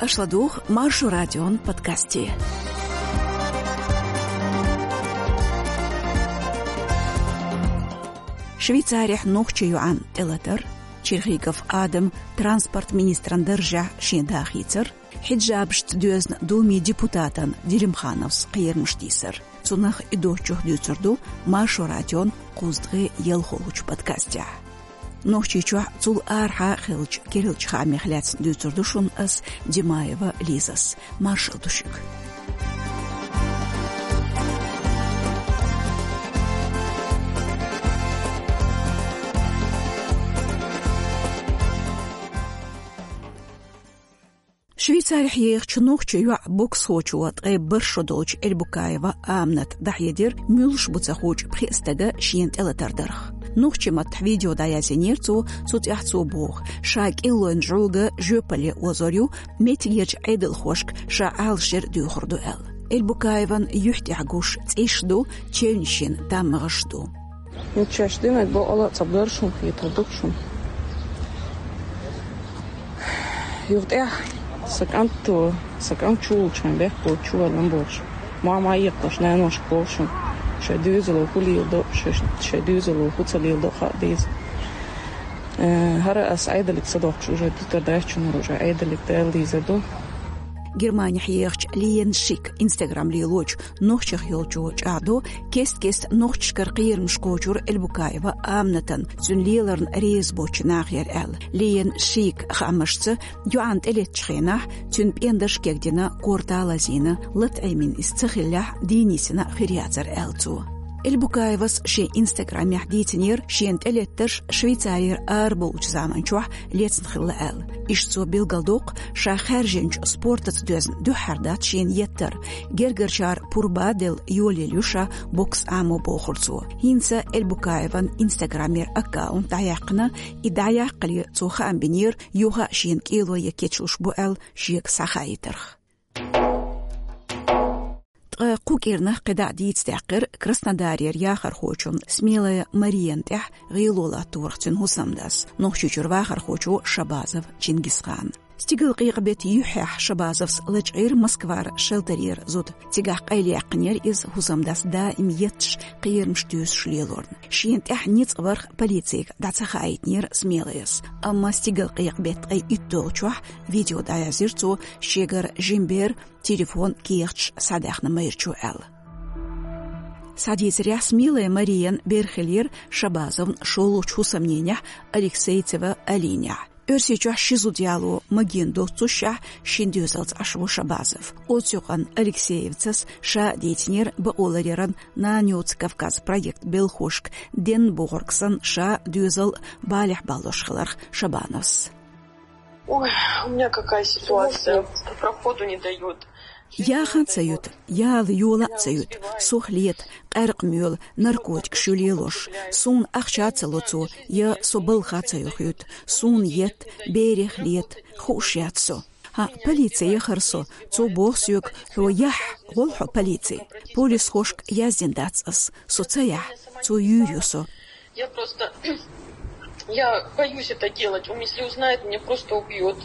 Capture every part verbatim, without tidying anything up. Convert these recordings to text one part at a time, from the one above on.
Аша ладугӀу Маршо радион подкасте. Швейцарехь нохчийн йоӀан тӀелатар, Черхигов Адам транспорт министран даржехь шен дахийцар, хьиджабашца доьзна Думин депутатан Делимхановс кхерамаш тийсар. Цунах а доцчух дуьйцур ду Маршо радион кхузткъе ялхолгӀачу подкастехь. Нохчийчохь, цул арахьа хиллачу керлачу хаамех лаьцна дуьйцур ду шуна ас, Димаева Лизас. Маршалла ду шуьга. Швейцарехь ехачу нохчийн йоӀан боксхочо, ткъе бархӀ шо долчу Эльбукаева Амината дӀахьедира муьлш бу ца хуучу пхеа стага шена тӀелатар дарх. Нохчийн маттахь видео дӀаязйинера цо, цу тӀехь цо боху, ша кӀиллойн жӀуга жоьпалле озор ю, меттигерчу Ӏедалхошка ша Ӏалашъяр доьхур ду аьлла. Эльбукаеван юьхь тӀехь гуш цӀиш ду, чевнаш йина таммагӀаш ду. Ну, чеш динарг бакъала а ца бара шуна, хетар ду шуна. Юха тӀехь сан кӀант, сан кӀант чу волчу, хьайн бехк боцу чу валлам болуш, мама а екъалаш, наношка боху шуна, шайн доьзало хӀун леладо, шайн, шайн доьзало хӀун ца леладо хаа деза. Э, хӀара ас Ӏедалиг ца доккхуш уже дитар дац шуна, уже Ӏедалиг дала дезар ду. Германехь ехачу Лиен Шик Instagram лелочу нохчех йолчо чӀагӀдо, кест-кеста нохчашкара кхерамаш кхочура Эльбукаева Аминатан, цуьнан леларна реза боцчу нахера аьлла. Лиен Шик хаамашца, йоӀанна тӀелеттачу хенахь цуьнан пӀендарш кегдина, корта лазийна, лата Ӏемина иза ца хиллехь, дийна йисина хир яцара аьлла цо. Эльбукаевас шен Instagram-ехь дийцинера шена тӀелеттарш Швейцарера арабовлучу заманчохь лецна хилла аьлла. Иштта цо билгалдоккху, ша хаьржинчу спортаца доьзна дуьххьара дац шена еттар. Гергарчара пурба а делла, йолаелла ю ша бокс Ӏамо, бохура цо. ХӀинца Эльбукаеван Instagram-ера аккаунт дӀаяьккхина, и дӀаяккхале цо хаам бинера, юха а шена кӀело ян кечлуш бу аьлла шега схьахаийтарх. Ткъа кху кӀирнах кхидӀа а дийца даьккхира Краснодарера яхархочун Смелая Мариян тӀехь гӀело латторах цуьнан хӀусамдас, Нохчийчуьра вахархочо Шабазов Чингисхана. Стигалкъекъа беттан юьххьехь Шабазовс лачкъийра Москвара шелтерера зуда. Цигахь къайлаяьккхинера иза хӀусамдас даим етташ, кхерамаш туьйсуш лелорна. Шена тӀехь ницкъ варх полицига дӀа ца хаийтинера Смелаяс. Амма стигалкъекъа беттан ткъе итт долчохь видео дӀаязйира цо, шегара жима бер телефон, кехаташ схьадаьхна майрачо аьлла. Схьадийцарехь, Смелая Мариян бер хиллера Шабазовн шолгӀачу хӀусамненехь Алексейцева Алинехь. Оьрсийчохь ши зуда яло магийна доццушехь, шина доьзалца Ӏаш ву Шабазов. Оцу юкъанна Алексеевцас ша а дийцинера бакъоларъяран «Нана йоцу Кавказ» проект белхошка денна бохург санна, ша доьзал балехь баллош хиларх Шабазовс. Ой, у меня какая ситуация. Проходу не дают. Яхана ца юта, яла йола а ца юта, сох лета, къаьркъа моьлу, наркотикаш ю лелош, суна ахча а ца ло цо, я со балха а ца йохуьйту, суна етта, берех лета, хууш яц со. ХӀаъ, полици яхара со, цо боху соьга, хьо яхь, гӀол хьо полици. Полисхошка яздина дац ас, со ца яхь, цо юьйр ю со. Я просто, я боюсь это делать. Он если узнает, меня просто убьет.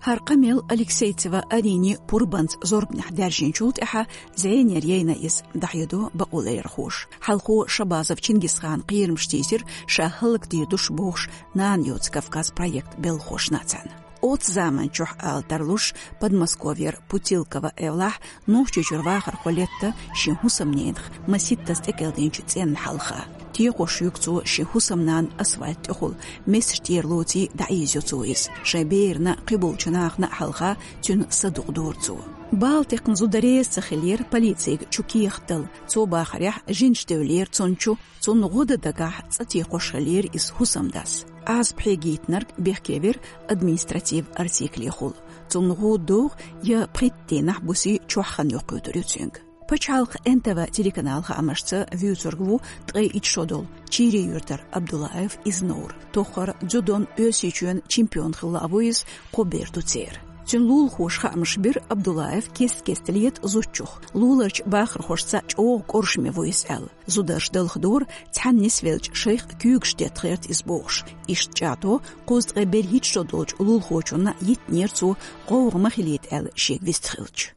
ХӀара къамел Алексейцева Алини пурбанца зорбанехь даьржинчул тӀаьхьа зӀенера яйна иза, дӀахьедо бакъоларъярхоша. Хьалхо Шабазов Чингисхана кхерамаш тийсира ша хӀаллакдийр ду ша бохуш «Нана йоцу Кавказ» проект белхошна цхьаьна. Оцу заманчохь, ала тарлуш, Подмосковьера Путилково эвлахь, Нохчийчуьра вахархо летта шен хӀусамненах маситтаза тӀекӀелдинчу цӀенна хьалха. Текхош юьгу цо шен хӀусамнана асфальт тӀехула, месаш тӀера лоций дӀаийзайо цо иза. Шайн берана, кхиболчу нахана а хьалха цуьнан са дукъ дора цо. Бала текхна зуда реза ца хиллера полицига чу кехат дала. Цо бахарехь, жинаш девллера цунна чу, цунна гӀо дан дагахь цӀа текхош хиллера иза хӀусамдас. Ӏазап хьегийтинарг бехке вира административ артиклехула. Цунна гӀуда догӀу я пхийтта дийнахь буси чохь хан йоккхуьйтур ю цуьнга. Пачхьалкхан Н Т В телеканал хаамашца, вуьйцург ву ткъе итт шо долу Чийри-Юьртара Абдуллаев Изнаур. Тоххара дзюдон Оьрсийчоьнан чемпион хилла а ву иза, кхо бер ду церан. Цуьнан лулахоша хаамаш бира Абдуллаев кест-кеста лета зудчух, луларчу бахархошца чӀогӀа кӀоршаме ву иза аьлла. Зударша далхадора, цхьаьна нисвеллачу шайх куьйгаш детта гӀерта иза бохуш. Иштта чӀагӀдо, кхузткъе берхӀитта шо долчу лулахочунна йиттинера цо, гӀовгӀа ма хилийта аьлла шега вистхилча.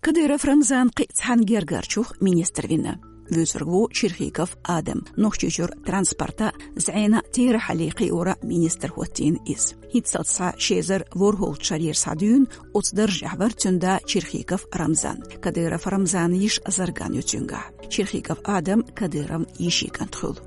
Кадыров Рамзан кхин а цхьана гергарчух министр вина. Вуьйцург ву Черхигов Адам, Нохчийчуьра транспорта, зӀена, терахьаллин кхиоран министр хӀоттийна иза. ХӀинццалц схьа ши эзар ворхӀалгӀачу шарера схьадуьйна оцу даржехь вара цуьнан да Черхигов Рамзан. Кадыров Рамзанан йиша Зарган ю цуьнгахь. Черхигов Адам Кадыровн йишин кӀант хуьлу.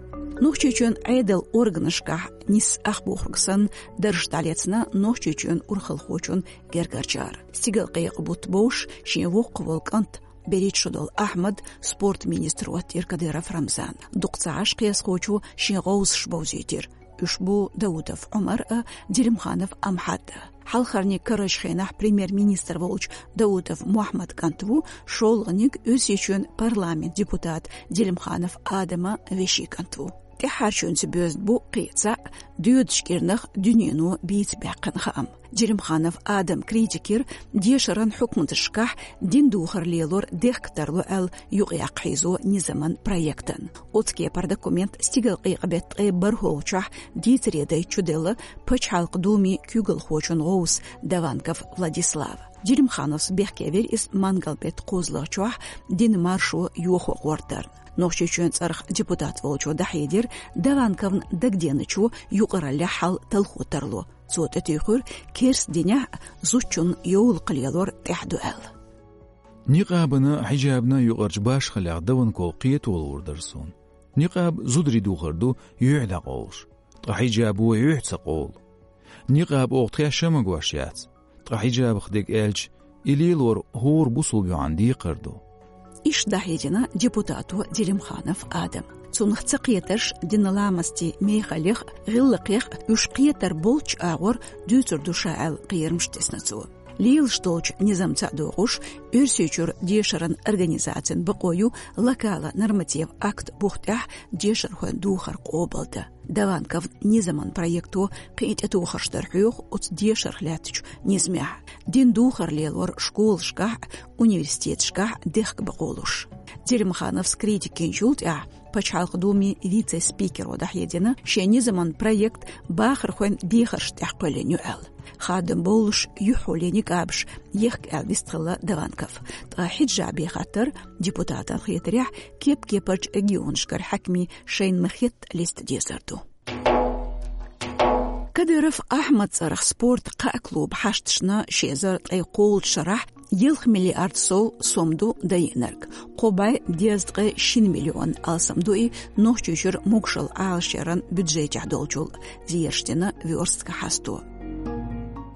Нохчийчоьнан Ӏедалан органашкахь нисса ах бохург санна, дарж дӀалецна Нохчийчоьнан урхалхочун гергарчара. Стигалкъекъа бутт бовш шен воккхах волу кӀант, берхӀитта шо долу Ахьмад, спорт министр хӀоттийра Кадыров Рамзана. Дукха ца Ӏаш кхиазхочо шен гӀовсаш бовзийтира. Уьш бу Даудов Ӏумар а, Делимханов Амхьад а. Хьалхарниг карарчу хенахь премьер-министр волчу Даудов Мохьмадан кӀант ву, шолгӀаниг Оьрсийчоьнан парламентан депутат Делимханов Адаман вешин кӀант ву. ТӀаьххьарчуьнца боьзна бу кхин а цхьаъ доьдучу кӀирнах дуьнено бийца баьккхина хаам. Делимханов Адам критикера дешаран хьукматашкахь дин духар лелор дехка тарло аьлла юкъаяккха хьийзо низаман проектана. Оцу кепара документ стигалкъекъа беттан ткъе бархӀалгӀачохь дийцаре дайта чуделла Пачхьалкхан Думин куьйгалхочун гӀовс Даванков Владислава. Делимхановс бехке вира иза мангал беттан кхозлагӀчохь динан маршо йохо гӀортарна. Нохчийчоьнан цӀарах депутат волчо дӀахьедира Даванковна дагаденачо юкъараллехь хьал талхо тарло. Цо тӀетуьйхира, керста динехь а зудчунна йовлакх лелор тӀехь ду аьлла. Никъабана, хьиджабна юкъарчу башхаллех Даванков кхето луур дара суна. Никъаб зударий духар ду юьхь дӀакъовлуш, ткъа хьиджабо юьхь ца къовлу. Никъаб оха тхаьш а магош яц, ткъа хьиджабах дерг аьлча, и лелор хӀора бусулба йоьӀан декхар ду. Иштта дӀахьедина депутато Делимханов Адам. Цунах ца кхетарш динан ламастийн мехаллех а, гӀиллакхех а уьш кхетар болчу агӀор дуьйцур ду ша аьлла кхерамаш тесна цо. Лелаш долчу низамца а догӀуш, Оьрсийчуьра дешаран организацин бакъо ю локалан нормативан акт бух тӀехь дешархойн духар къобалдан. Даванковн низаман проекто кхин а тӀетухарш дар хьоьху оцу дешарх лаьттачу низамехь. Дин духар лелор школашкахь а, университеташкахь а дехка бакъо луш. Делимхановс критика йинчул тӀаьхьа Пачхьалкхан Думин вице-спикеро дӀахьедина, шен низаман проект бахархойн дехаршна тӀехь кхоьллина ю аьлла. Хадам бовлуш юьхьӀоллин никъабаш ехка аьлла вистхилла Даванков. Ткъа хьиджабан хаттар депутатан хетарехь кеп-кепарчу регионашкара хьаькамийн шайна ма-хетта листа дезар ду. Кадыров Ахьмадан цӀарах спортан кхаа клубан хьашташна ши эзар ткъе кхоалгӀачу шарахь ялх миллиард сов сом ду дайинарг. Кхо бӀе дезткъе шина миллион алсам ду и Нохчийчуьра могушалла Ӏалашъяран бюджетехь долчул, зераш дина Вёрстка хьасто.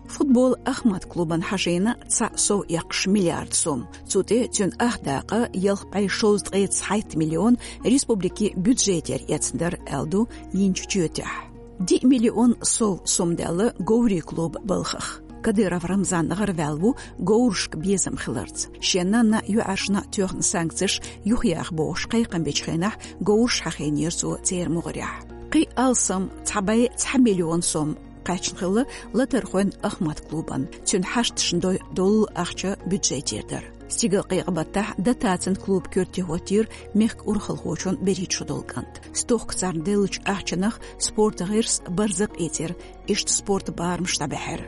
Футболан Ахмат клубана хьажийна цхьаъ сов эккхаш миллиард сом. Цу тӀе цуьнан ах дакъа ялх бӀе шовзткъе цхьайтта миллион республикин бюджетера эцна дара аьлла ду йинчу чоьтехь. Диъ миллион сов сом даьлла говрийн клубан балхах. Кадыров Рамзан гӀараваьлла ву говрашка безам хиларца. Шен нанна а, йоӀаршна а тоьхна санкцеш юхаяха бохуш кхайкхам бечу хенахь, говраш хьахийнера цо церан могӀарехь. Кхин а алсам цхьа бӀе цхьа миллион сом кхаьчна хилла латархойн Ахмат клубана, цуьнан хьашташна дой долу ахча бюджетера дара. Стигалкъекъа баттахь дотацин клубан коьрте хӀоттийра мехкан урхалхочун берхӀитта шо долу кӀант. Стохка царна деллачу ахчанах спортан гӀирс барзакъ ийцира, иштта спортан барамаш дӀабаьхьира.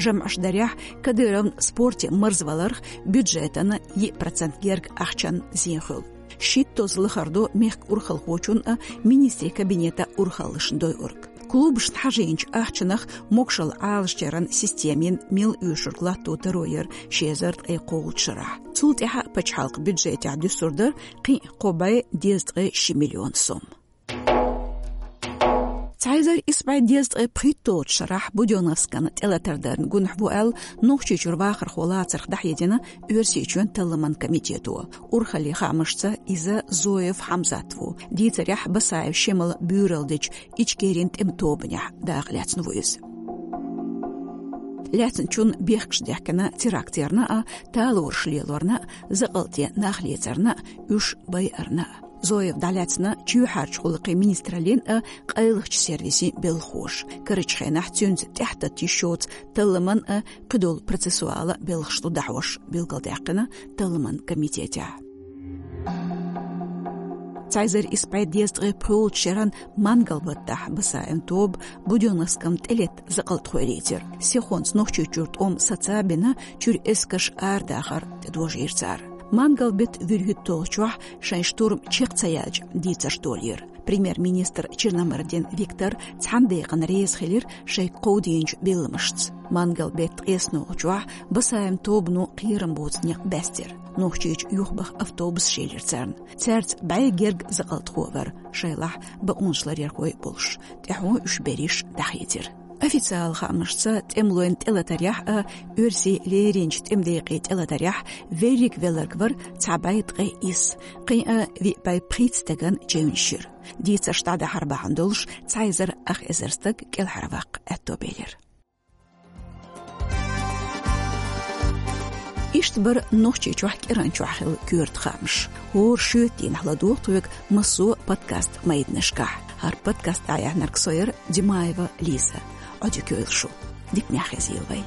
ЖамӀаш дарехь, Кадыровн спорте марзваларх бюджетан йиъ процент герга ахчанна зен хуьлу. Шиттозза лахара ду мехкан урхалхочун а, министрийн кабинетан урхаллашна дойург. Клубашна хьажийначу ахчанах могушалла Ӏалашъяран системин мел оьшург латто таро яра ши эзар ткъе кхоалгӀачу шарахь. Цул тӀаьхьа пачхьалкхан бюджетехь дуьсур дара кхин а кхо бӀе дезткъе ши миллион сом. Цхьа эзар исс бӀе дезткъе пхийтталгӀачу шарахь Будённовскана тӀелатар дарна гунахь ву аьлла, Нохчийчуьра вахархо лацарх дӀахьедина Оьрсийчоьнан талламан комитето. Урхаллин хаамашца, иза Зоев Хьамзат ву. Дийцарехь, Басаев Шемала буьйралла дечу Ичкерин тӀеман тобанехь дакъа лаьцна ву иза. Лаьцначунна бехкаш дехкина теракт ярна а, талораш лелорна а, закъалтан нах лецарна а, уьш байарна а. Зоев дӀалаьцна чоьхьарчу гӀуллакхийн министраллин а, къайлахчу сервисийн белхоша. Карарчу хенахь цуьнца тӀаьхьататта йиш йоцу талламан а, кхидолу процессуала белхаш ду дӀахьош, билгалдаьккхина талламан комитетехь. Цхьа эзар исс бӀе дезткъе пхоьалгӀачу шеран мангал-баттахь Басаевн тоба Будённовскна тӀелетта закъалтхой лецира. Сихонца Нохчийчуьра тӀом саца а бина, чуьра эскарш арадахар тӀедожийра цара. Мангал-беттан вуьрхӀитталгӀачохь шайн штурм чекх ца яьлча дийцарш долийра. Премьер-министр Черномырдин Виктор цхьана декъана реза хилира шайга кховдийначу билламашца. Мангал-беттан ткъеснолгӀачохь Басаевн тобано кхерам боцу некъ баьстира. Нохчийчу юхабаха автобусаш елира царна. Цаьрца бӀе герга закъалтхо а вара, шайлахь бакъонаш ларъярхой а болуш. ТӀаьхьо уьш берриш дӀахийцира. Официалан хаамашца, тӀемалойн тӀелатарехь а, оьрсийн леринчу тӀеман декъийн тӀелатарехь верриг велларг вара цхьа бӀе ткъе исс, кхин а виъ бӀе пхийтта стагана чевнаш йира. Дийцарш дӀадахьар бахьана долуш, цхьа эзар ах эзар стаг кӀелхьарваккха аьтто белира. Иштта бара Нохчийчохь кӀиранчохь хилла коьрта хаамаш. ХӀора шоьтан дийнахь ладогӀа тхоьга массо а подкаст-майданашкахь. ХӀара подкаст дӀаяьхьнарг со яра, Димаева Лиза. Ӏодика йойла шу. Диканехь хезийла вай.